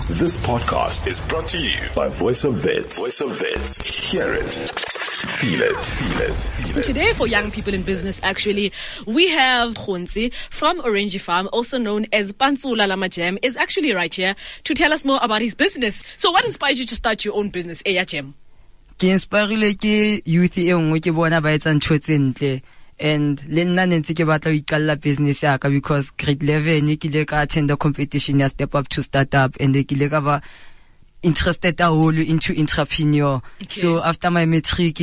This podcast is brought to you by Voice of Wits. Voice of Wits. Hear it. Feel it. Feel it. Feel it. Today for young people in business, actually, we have Khonzi from Orange Farm, also known as Pantsula Lama Jam, is actually right here to tell us more about his business. So what inspired you to start your own business, Eya Jam? Ke inspirile ke youth e nngwe ke bona ba etsa ntho tse ntle, and le nna ne ntse ke batla ho iqalla business ya ka because grade 11 ke ile ka attend the competition ya Step Up to Startup, and ke ile ka ba interested haholo into entrepreneur. Okay. So after my matric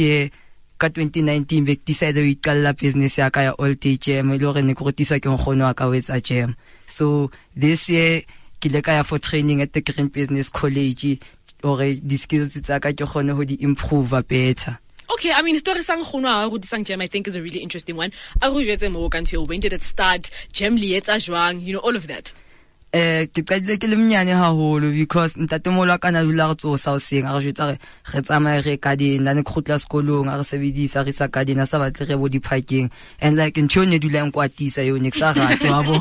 ka 2019 be ke decide ho iqalla business ya ka ya all day jam, e le hore ne ke rutiswa ke nkgono wa ka ho etsa jam. So this year ke ile ka ya for training at the Green Business College hore di skills tsa ka ke kgone ho di improve better. Okay, I mean, story sang nkgono wa hao rutisang jam, I think is a really interesting one. A re jwetse mo ka ntho eo, when did it start? Jam le etsa jwang? You know, all of that. Ke qadile ke le monyane haholo because ntatemoholo wa ka na dula re tsosa hoseng, a re jwetsa re tsamaye re garden, a ne ke kgutla sekolong, a re sebedisa, re isa garden, a sa batle re bo di-parking. And like ntho eo ne dula e nkwatisa eo, ne ke sa rate, wa bo.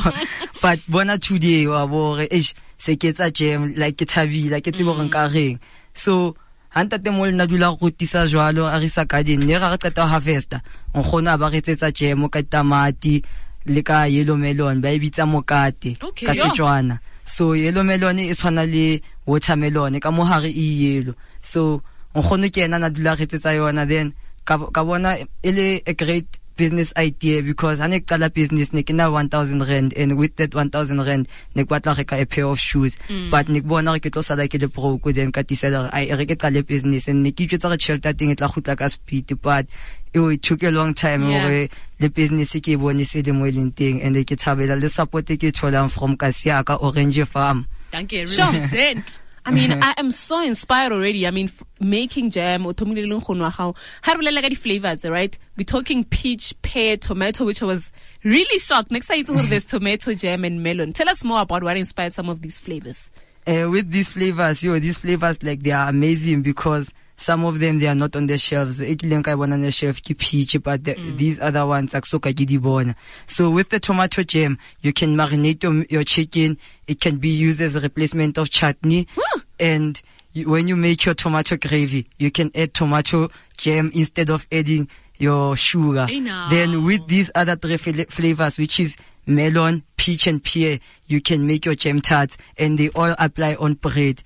But bona today, wa bo, re, eish, se ke etsa jam, like ke thabile, ke tsebe hore nka reng. So ha ntatemoholo nna dula re rutisa jwalo, a re isa garden, ne ra re qeta ho harvesta, nkgono a ba re etsetsa jam ka ditamati le ka yellow melon, ba e bitsa mokate Okay, ka yeah. Setswana. So yellow melon e tshwana le watermelon, ka mohare e yellow. So nkgono ke yena na dula re etsetsa yona, then ka bona e le a great business idea because ha ne ke qala business ne ke na 1000 rand, and with that 1000 rand ne ke batla ho reka a pair of shoes. But ne ke bona hore ke tlo sala ke le broke, then ka decide hore, ai, e re ke qale business, and ne ke itjwetsa hore tjhelete ya teng e tla kgutla ka speed, but it took a long time hore le business ke e bone se le mo e leng teng, and ke thabela le support e ke e tholang from kasi ya ka Orange Farm. Thank you, Sure. represent. I mean, I am so inspired already. I mean, making jam, o thomile le nkgono wa gago. Ha re bolela ka di-flavors, right? We're talking peach, pear, tomato, which I was really shocked. Next time you there's tomato jam and melon. Tell us more about what inspired some of these flavors. With these flavors, yo, these flavors, like, they are amazing because some of them, they are not on the shelves. E kileng ka e bona on the shelf ke peach, but these other ones, ak so ka ke di bona. So with the tomato jam, you can marinate your chicken. It can be used as a replacement of chutney. Huh. And when you make your tomato gravy, you can add tomato jam instead of adding your sugar. Hey, now. Then with these other three flavors, which is melon, peach, and pear, you can make your jam tarts, and they all apply on bread.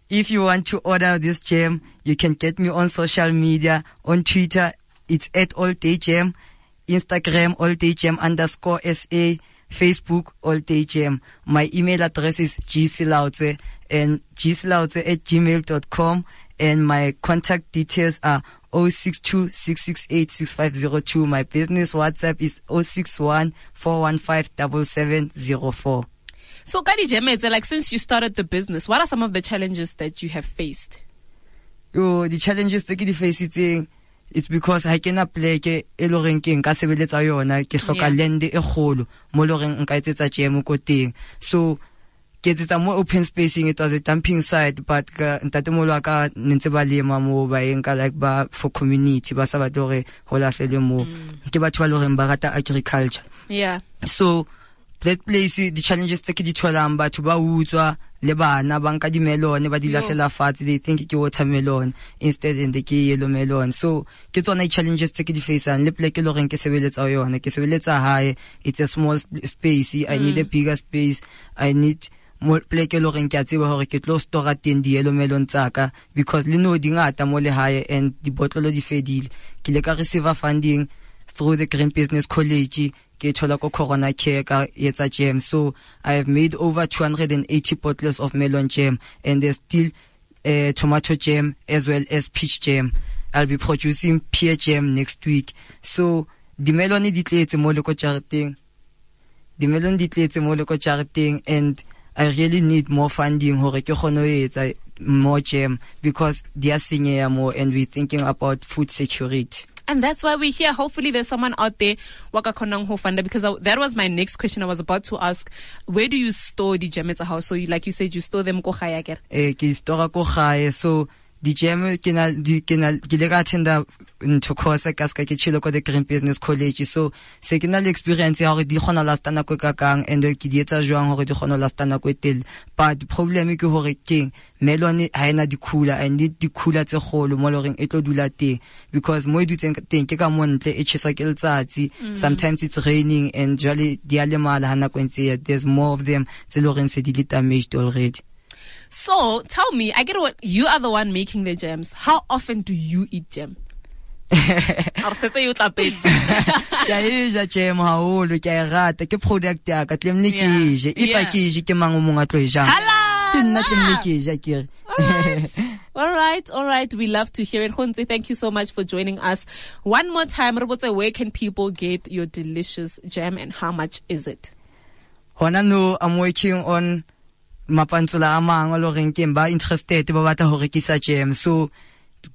If you want to order this jam, you can get me on social media. On Twitter, it's at All Day Jam. Instagram, All Day Jam underscore SA. Facebook, All Day Jam. My email address is gsilaotswe and gsilaotswe@gmail.com. And my contact details are 062-668-6502. My business WhatsApp is 061-415-7704. So, ka di-jam tse, since you started the business, what are some of the challenges that you have faced? Yo, the challenges tse ke di facetseng, it's because ha ke na pleke e le horeng ke nka sebeletsa yona, ke hloka land e kgolo mo le horeng nka etsetsa jam ko teng. So ke etsetsa mo open spacing, it was a dumping site, but ka ntatemoholo wa ka ne ntse ba lema mo, ba e nka like ba for community, ba sa batle hore ho lahlelwe moo. Ke batho ba le horeng ba rata agriculture. So that place, the challenges tse ke di tholang, batho ba utswa le bana ba nka di-melon ba di lahlela fatshe, they think ke watermelon instead and ke yellow melon. So ke tsona di-challenges tse ke di faceang le pleke e le horeng ke sebeletsa ho yona, ke sebeletsa hae, it's a small space, I need a bigger space, I need mo pleke e le horeng ke a tseba hore ke tlo store teng di-yellow melon tsa ka, because le no di ngata mo lehae and dibotlolo di fedile. Ke ile ka receive funding through the Green Business College, ke thola ko Corona Care ka etsa jam. So I have made over 280 bottles of melon jam, and there's still tomato jam as well as peach jam. I'll be producing pear jam next week. So di melon di tletse mo le ko jareteng. Di melon di tletse mo le ko jareteng, and I really need more funding hore ke kgone ho etsa more jam because di a senyeha mo, and we're thinking about food security. And that's why we're here. Hopefully there's someone out there waka khonang ho funda, because that was my next question. I was about to ask, where do you store the jam at the house? So you, like you said, you store them ko gae, akere? Ke store ko gae. So Di jam ke na di ke na ke le ka attenda ntho course ka ska ke tshilo ko the Green Business College, so se ke na le experience ya hore di kgona lasta nako e kakang, and ke di etsa jwang hore di kgona lasta nako e telele. But problem ke hore keng melon ha ena di cooler, I need di cooler tse kgolo mo loreng e tlo dula teng, because mo e dutseng teng ke ka mo ntle e tjheswa ke letsatsi. Sometimes it's raining and jwale di a lemala ha nako e ntse, there's more of them tse loreng se di le damaged already. So tell me, I get what you are the one making the jams. How often do you eat jam? Ke a e ja jam haholo, ke a e rata, ke product ya ka, tlamehile ke e je. If I ke e je, ke mang o mong a tlo e jang? Ke nna tlamehile ke e ja, ke re. All right. We love to hear it. Gontse, thank you so much for joining us. One more time, Rebotse, where can people get your delicious jam and how much is it? Hona no, I'm working on mapantsula a mang a loreng ke ba interested ba batla ho rekisa jam, so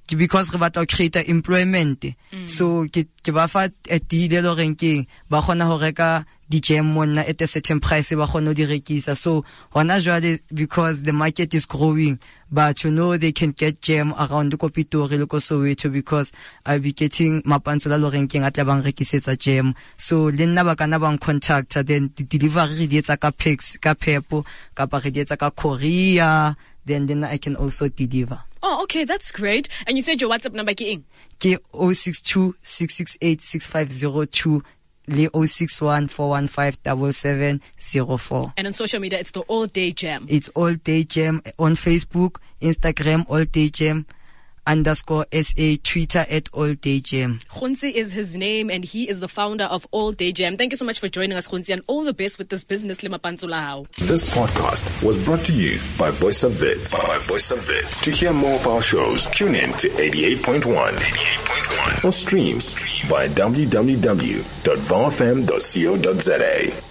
because re batla ho create employment, so ke ba fa a deal e loreng ke ba kgona ho reka di jam monna at a certain price, ba kgona ho di rekisa. So hona jwale, because the market is growing, but you know they can get jam around ko Pitori le ko Soweto, because I'll be getting mapantsula loreng keng a tla bang rekisetsa jam. So le nna ba kana bang contact, then the delivery re di etsa ka Pax, ka Pep, kapa re di etsa ka Korea, then I can also deliver. Oh, okay, that's great. And you said your WhatsApp number ke eng? Ke 062 668 6502 le 061 415 7704. And on social media, it's the All Day Jam. It's All Day Jam on Facebook, Instagram, All Day Jam _SA, Twitter at All Day Jam. Gontse is his name, and he is the founder of All Day Jam. Thank you so much for joining us, Gontse, and all the best with this business. Le mapantsula hao. This podcast was brought to you by Voice of Wits. By Voice of Wits. To hear more of our shows, tune in to 88.1 or stream via www.vowfm.co.za.